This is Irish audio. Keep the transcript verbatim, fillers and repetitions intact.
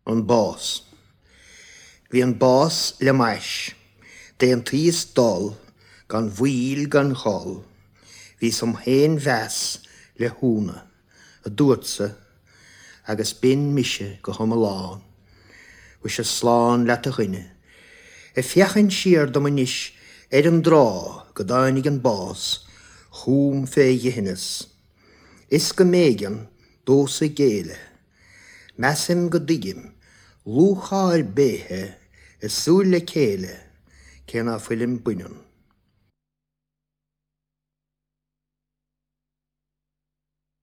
An Bás. Bhí an bás le m'ais. D'aontaíos dul gan mhoill gan chol. Bhíos im fhéinmheas le hÚna, a dúrtsa, agus b'in mise go hiomlán. Mhuise slán leat a dhuine. Ag féachaint siar dom anois ar an dtráth go dtáinig an bás chugam fé dhithineas, is go mb'éigean domhsa géilleadh. Measaim go dtuigim lúcháir béithe i súil le céile cé ná fuilim baineann.